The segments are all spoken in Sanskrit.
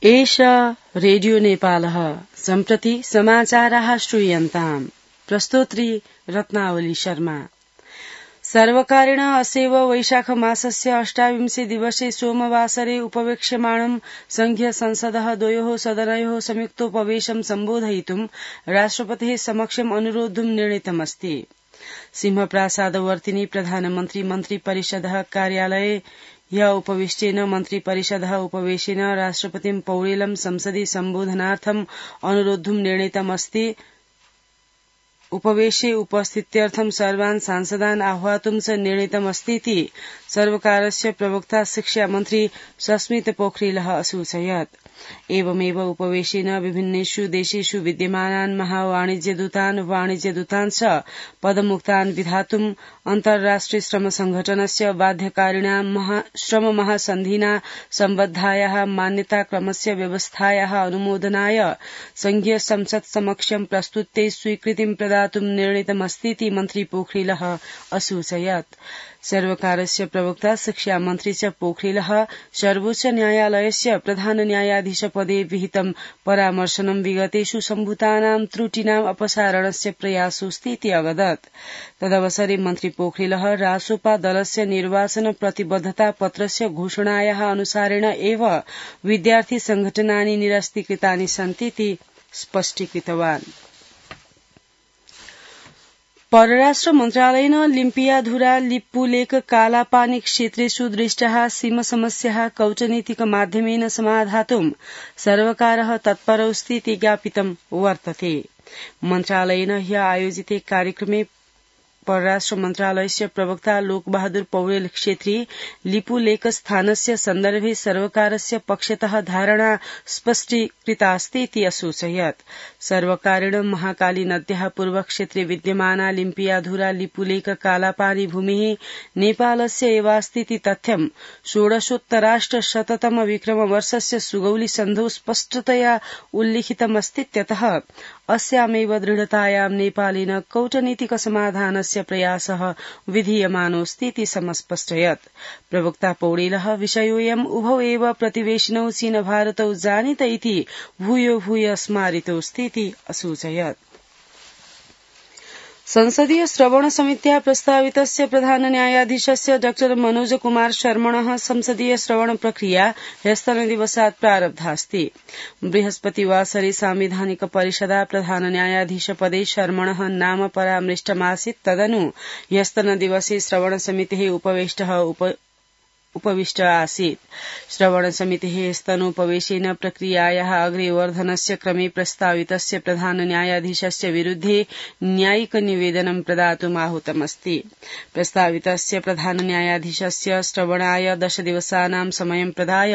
एष रेडियो नेपालः सम्प्रति समाचाराः श्रूयन्ताम्। प्रस्तोत्री रत्नावली शर्मा। सर्वकारेण अस्यैव वैशाख मासस्य 28 दिवसे सोमवासरे उपवेक्ष्यमाणं संघीय संसदः द्वयोः सदनयोः संयुक्तोपवेशनं सम्बोधयितुं राष्ट्रपतेः समक्षम् अनुरोद्धुं निर्णीतमस्ति। सिंहप्रासादवर्तिनि प्रधानमन्त्री मन्त्रिपरिषदः कार्यालये ह्य उपविष्टेन मन्त्रिपरिषदः उपवेशेन राष्ट्रपतिं पौडेलं संसदि सम्बोधनार्थम् अनुरोद्धुं निर्णीतमस्ति। उपवेशे उपस्थित्यर्थं सर्वान् सांसदान् आह्वातुं च निर्णीतमस्तीति सर्वकारस्य प्रवक्ता शिक्षामन्त्री सस्मित पोखरियलः असूचयत्। एवमेव उपवेशेन विभिन्नेषु देशेषु विद्यमानान् वाणिज्यदूतान् च पदमुक्तान् विधातुं अन्ताराष्ट्रिय श्रम संघटनस्य बाध्यकारिणां श्रम महासन्धिना सम्बद्धायाः मान्यताक्रमस्य व्यवस्थायाः अनुमोदनाय संघीय संसत् समक्षं प्रस्तुत्यै स्वीकृतिं प्रदातुं निर्णीतमस्तीति मन्त्री पोखरियलः असूचयत्। सर्वकारस्य प्रवक्ता शिक्षामन्त्री च पोखरियलः सर्वोच्च न्यायालयस्य प्रधान न्यायाधीशपदे विहितं परामर्शनं विगतेषु सम्भूतानां त्रुटीनाम् अपसारणस्य प्रयासोऽस्तीति अवदत्। तदवसरे मन्त्री पोखरियलः रासोपा दलस्य निर्वाचन प्रतिबद्धता पत्रस्य घोषणायाः अनुसारेण एव विद्यार्थी संघटनानि निरस्तीकृतानि सन्तीति स्पष्टीकृतवान्। परराष्ट्र मन्त्रालयेन लिम्पियाधुरा लिप्पुलेक कालापानी क्षेत्रेषु दृष्टाः सीमसमस्याः कूटनीतिकमाध्यमेन समाधातुं सर्वकारः तत्परोऽस्तीति ज्ञापितं वर्तते। मन्त्रालयेन ह्य आयोजिते कार्यक्रमे परराष्ट्र मन्त्रालयस्य प्रवक्ता लोकबहादुर पौडेल क्षेत्री लिपुलेक स्थानस्य सन्दर्भे सर्वकारस्य पक्षतः धारणा स्पष्टीकृतास्तीति असूचयत्। सर्वकारेण महाकाली नद्याः पूर्वक्षेत्रे विद्यमाना लिम्पियाधुरा लिपुलेक कालापानी भूमिः नेपालस्य एवास्तीति तथ्यं षोडशोत्तराष्टशततम विक्रमवर्षस्य सुगौली सन्धौ स्पष्टतया उल्लिखितमस्तीत्यतः अस्यामेव दृढतायां नेपालेन कूटनीतिक समाधानस्य प्रयासः विधीयमानोऽस्तीति समस्पष्टयत्। प्रवक्ता पौडेलः विषयोऽयम् उभौ एव प्रतिवेशिनौ चीन भारतौ जानीत इति भूयो भूय स्मारितोऽस्तीति असूचयत्। संसदीय श्रवण समित्याः प्रस्तावितस्य प्रधान न्यायाधीशस्य डॉ मनोज कुमार शर्मणः संसदीय श्रवण प्रक्रिया ह्यस्तनदिवसात् प्रारब्धास्ति। बृहस्पतिवासरे सांविधानिक परिषदा प्रधान न्यायाधीशपदे शर्मणः नाम परामृष्टमासीत्। तदनु ह्यस्तनदिवसे श्रवण समितेः उपविष्ट आसीत्। श्रवण समितेः स्तनोपवेशेन प्रक्रियायाः अग्रेवर्धनस्य क्रमे प्रस्तावितस्य प्रधान न्यायाधीशस्य विरुद्धे न्यायिक निवेदनं प्रदातुम् आहूतमस्ति। प्रस्तावितस्य प्रधान न्यायाधीशस्य श्रवणाय 10 दिवसानां समयं प्रदाय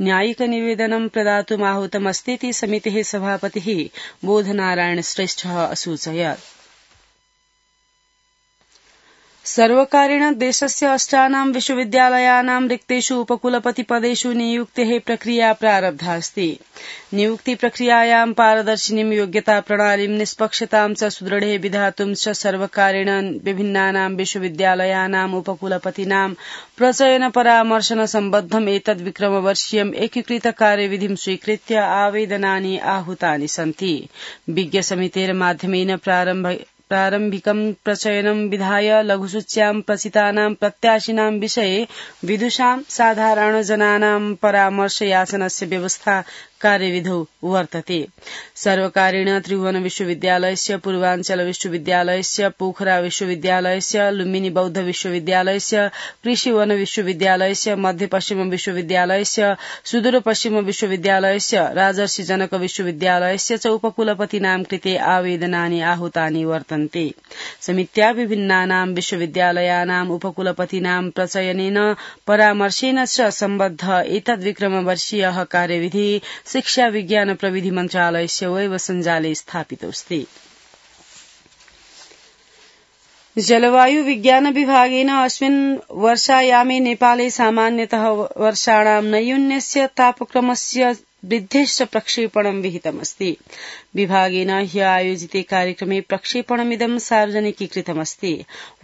न्यायिक निवेदनं प्रदातुम् आहूतमस्तीति समितेः सभापतिः बोधनारायण श्रेष्ठः असूचयत्। सर्वकारेण देशस्य 8 विश्वविद्यालयानां रिक्तेषु उपकुलपतिपदेषु नियुक्तेः प्रक्रिया प्रारब्धास्ति। नियुक्ति प्रक्रियायां पारदर्शिनीं योग्यता प्रणालीं निष्पक्षतां च सुदृढे विधातुं च सर्वकारेण विभिन्नानां विश्वविद्यालयानाम् उपकुलपतीनां प्रचयन परामर्शन सम्बद्धम् एतद् विक्रमवर्षीयम् एकीकृत कार्यविधिं स्वीकृत्य आवेदनानि आहूतानि सन्ति। विज्ञ समितेर्माध्यमेन प्रारम्भिकं प्रचयनं विधाय लघुसूच्यां प्रचितानां प्रत्याशिनां विषये विदुषां साधारणजनानां परामर्श याचनस्य व्यवस्था कार्यविधौ वर्तते। सर्वकारेण त्रिभुवन विश्वविद्यालयस्य, पूर्वाञ्चल विश्वविद्यालयस्य, पोखरा विश्वविद्यालयस्य, लुम्बिनी बौद्ध विश्वविद्यालयस्य, कृषिवन विश्वविद्यालयस्य, मध्यपश्चिम विश्वविद्यालयस्य, सुदूरपश्चिम विश्वविद्यालयस्य, राजर्षि जनक विश्वविद्यालयस्य च उपकुलपतीनां कृते आवेदनानि आहूतानि वर्तन्ते। समित्या विभिन्नानां विश्वविद्यालयानाम् उपकुलपतीनां प्रचयनेन परामर्शेन च सम्बद्ध एतद्विक्रमवर्षीयः कार्यविधि शिक्षा विज्ञान प्रविधि मन्त्रालयस्य वेबसञ्जाले स्थापितोऽस्ति। जलवायु विज्ञान विभागेन अस्मिन् वर्षायामे नेपाले सामान्यतः वर्षाणां नैयून्यस्य तापक्रमस्य वृद्धेश्च प्रक्षेपणं विहितमस्ति। विभागेन ह्य आयोजिते कार्यक्रमे प्रक्षेपणमिदं सार्वजनिकीकृतमस्ति।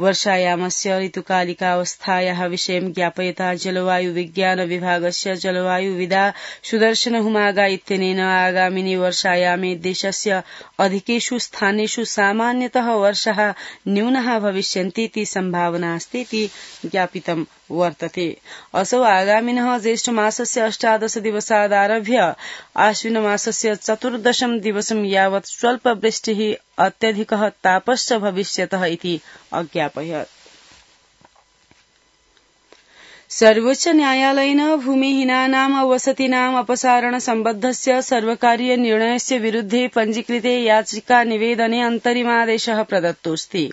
वर्षायामस्य ऋतुकालिकावस्थायाः विषयं ज्ञापयता जलवायु विज्ञान विभागस्य जलवायुविदा सुदर्शन हुमागा इत्यनेन आगामिनि वर्षायामे देशस्य अधिकेषु स्थानेषु सामान्यतः वर्षाः न्यूनाः भविष्यन्तीति सम्भावना अस्तीति ज्ञापितं वर्तते। असौ आगामिनः ज्येष्ठमासस्य 18 दिवसादारभ्य आश्विनमासस्य 14 दिवसं यावत् स्वल्पवृष्टिः अत्यधिकः तापश्च भविष्यतः इति अज्ञापयत्। सर्वोच्च न्यायालयेन भूमिहीनानां वसतीनाम् अपसारण सम्बद्धस्य सर्वकारीय निर्णयस्य विरुद्धे पञ्जीकृते याचिका निवेदने अन्तरिमादेशः प्रदत्तोऽस्ति।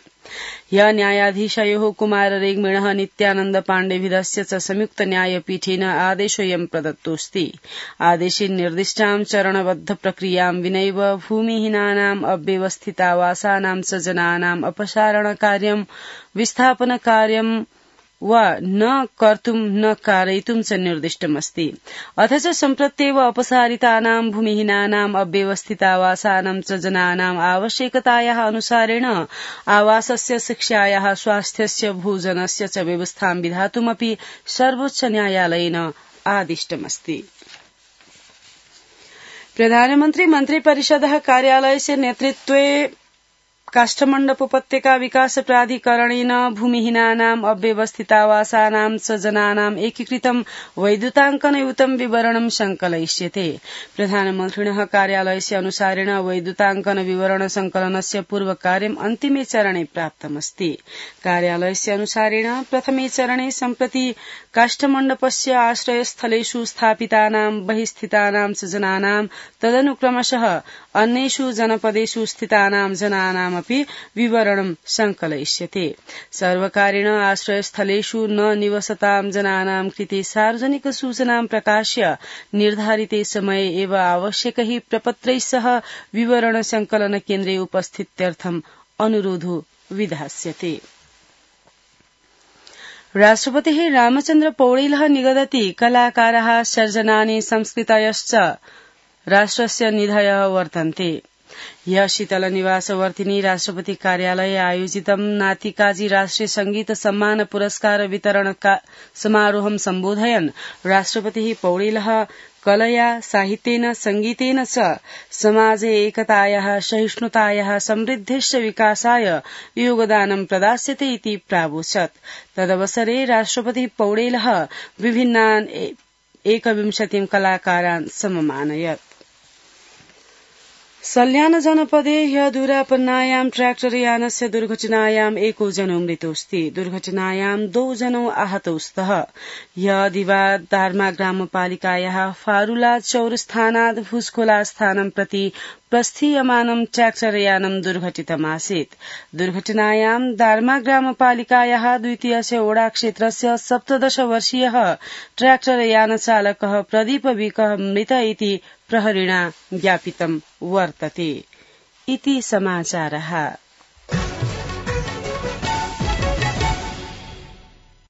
ह्य न्यायाधीशयोः कुमार रेग्मिणः नित्यानन्द पाण्डेभिधस्य च संयुक्त न्यायपीठेन आदेशोऽयं प्रदत्तोऽस्ति। आदेशे निर्दिष्टां चरणबद्ध प्रक्रियां विनैव भूमिहीनानाम् अव्यवस्थितावासानां च जनानाम् अपसारणकार्यं विस्थापनकार्यं वा न कर्तुं न कारयितुं च निर्दिष्टमस्ति। अथ च सम्प्रत्येव अपसारितानां भूमिहीनानाम् अव्यवस्थितावासानां च जनानाम् आवश्यकतायाः अनुसारेण आवासस्य शिक्षायाः स्वास्थ्यस्य भोजनस्य च व्यवस्थां विधातुमपि सर्वोच्च न्यायालयेन आदिष्टमस्ति। प्रधानमन्त्री मन्त्रिपरिषदः कार्यालयस्य नेतृत्वे काष्ठमण्डप उपत्यका विकास प्राधिकरणेन भूमिहीनानाम् अव्यवस्थितावासानां च जनानाम् एकीकृतं वैद्युताङ्कनयुतं विवरणं संकलयिष्यते। प्रधानमन्त्रिणः कार्यालयस्य अनुसारेण वैद्युताङ्कन विवरण संकलनस्य पूर्वकार्यम् अन्तिमे चरणे प्राप्तमस्ति। कार्यालयस्य अनुसारेण प्रथमे चरणे सम्प्रति काष्ठमण्डपस्य आश्रयस्थलेषु स्थापितानां बहिस्थितानां च जनानां तदनुक्रमशः अन्येषु जनपदेषु स्थितानां जनानामपि विवरणं संकलयिष्यते। सर्वकारेण आश्रयस्थलेषु न निवसतां जनानां कृते सार्वजनिक सूचनां प्रकाश्य निर्धारिते समये एव आवश्यकैः प्रपत्रैः सह विवरण संकलन केन्द्रे उपस्थित्यर्थम् अनुरोधो विधास्यते। राष्ट्रपतिः रामचन्द्र पौडेलः निगदति कलाकाराः सर्जनानि संस्कृतयश्च राष्ट्रस्य निधयः वर्तन्ते। ह्यः शीतलनिवासवर्तिनी राष्ट्रपति कार्यालये आयोजितं नातिकाजी राष्ट्रिय संगीत सम्मान पुरस्कार वितरण समारोहं सम्बोधयन् राष्ट्रपतिः पौडेलः कलया साहित्येन संगीतेन च समाजे एकतायाः सहिष्णुतायाः समृद्धेश्च विकासाय योगदानं प्रदास्यते इति प्रावोचत्। तदवसरे राष्ट्रपतिः पौडेलः विभिन्नान् 21 कलाकारान् सममानयत्। सल्यान जनपदे ह्यः दूरापन्नायां ट्रैक्टर यानस्य दुर्घटनायाम् 1 जनो मृतोऽस्ति। दुर्घटनायां 2 जनो आहतौ स्तः। ह्यः दिवाद दार्मा ग्रामपालिकायाः फारुला चौरस्थानात् भुजखोला स्थानं प्रति प्रस्थीयमानं ट्रैक्टर यानं दुर्घटितमासीत्। दुर्घटनायां दार्मा ग्रामपालिकायाः द्वितीयस्य ओडा क्षेत्रस्य 17 वर्षीयः ट्रैक्टर यान चालकः प्रदीप विकः मृत इति प्रहरिणा ज्ञापितं वर्तते। इति समाचारः।